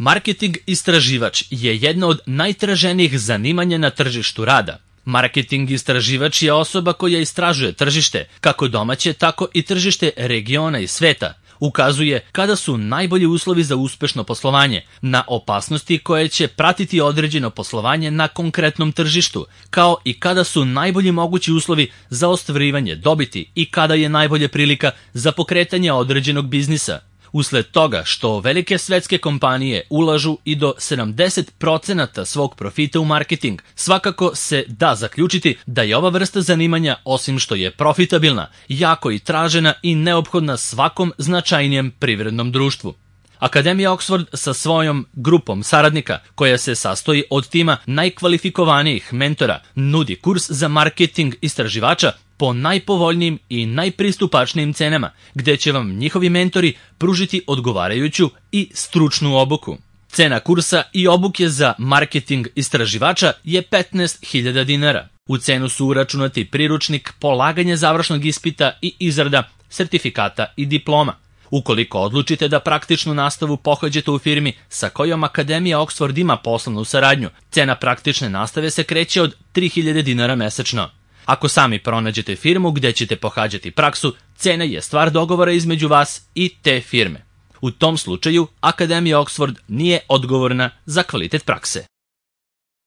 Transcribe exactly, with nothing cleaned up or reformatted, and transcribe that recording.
Marketing istraživač je jedno od najtraženijih zanimanja na tržištu rada. Marketing istraživač je osoba koja istražuje tržište, kako domaće, tako i tržište regiona i sveta. Ukazuje kada su najbolji uslovi za uspešno poslovanje, na opasnosti koje će pratiti određeno poslovanje na konkretnom tržištu, kao i kada su najbolji mogući uslovi za ostvarivanje dobiti i kada je najbolja prilika za pokretanje određenog biznisa. Usled toga što velike svetske kompanije ulažu i do sedamdeset procenata svog profita u marketing, svakako se da zaključiti da je ova vrsta zanimanja, osim što je profitabilna, jako i tražena i neophodna svakom značajnijem privrednom društvu. Akademija Oxford sa svojom grupom saradnika, koja se sastoji od tima najkvalifikovanijih mentora, nudi kurs za marketing istraživača po najpovoljnijim i najpristupačnijim cenama, gde će vam njihovi mentori pružiti odgovarajuću i stručnu obuku. Cena kursa i obuke za marketing istraživača je petnaest hiljada dinara. U cenu su uračunati priručnik, polaganje završnog ispita i izrada sertifikata i diploma. Ukoliko odlučite da praktičnu nastavu pohađate u firmi sa kojom Akademija Oxford ima poslovnu saradnju, cena praktične nastave se kreće od tri hiljade dinara mesečno. Ako sami pronađete firmu gde ćete pohađati praksu, cena je stvar dogovora između vas i te firme. U tom slučaju, Akademija Oxford nije odgovorna za kvalitet prakse.